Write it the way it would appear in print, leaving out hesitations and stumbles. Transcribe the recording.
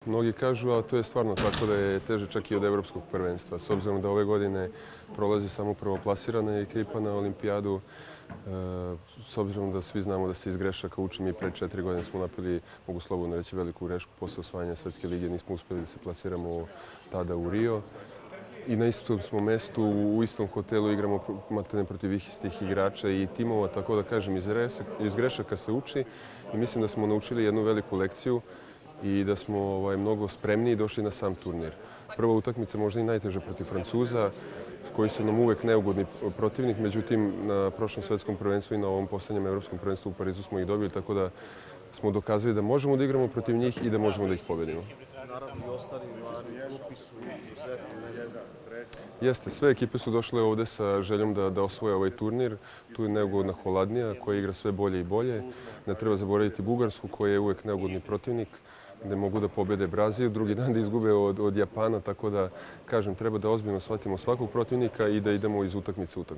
Mnogi kažu, a to je stvarno tako da je teže čak i od evropskog prvenstva. S obzirom da ove godine prolazi samo prvoplasirana ekipa na olimpijadu, s obzirom da svi znamo da se iz grešaka uči, mi pre 4 godine smo napravili, mogu slobodno reći, veliku grešku posle osvajanja Svetske lige, nismo uspeli da se plasiramo tada u Rio. I na istom smo mestu, u istom hotelu igramo matene protiv istih igrača i timova, tako da kažem, iz grešaka se uči i mislim da smo naučili jednu veliku lekciju i da smo mnogo spremniji došli na sam turnir. Prva utakmica možda i najteža protiv Francuza, koji su nam uvek neugodni protivnik, međutim na prošlom svetskom prvenstvu i na ovom poslednjem evropskom prvenstvu u Parizu smo ih dobili, tako da smo dokazali da možemo da igramo protiv njih i da možemo da ih pobedimo. Naravno i ostali mladi u grupi su izuzetno. Jeste, sve ekipe su došle ovde sa željom da osvoje ovaj turnir. Tu je neugodna Holandija koja igra sve bolje i bolje. Ne treba zaboraviti Bugarsku koja je uvek neugodni protivnik, gde mogu da pobede Brazil, drugi dan da izgube od Japana, tako da, kažem, treba da ozbiljno shvatimo svakog protivnika i da idemo iz utakmice u utakmicu.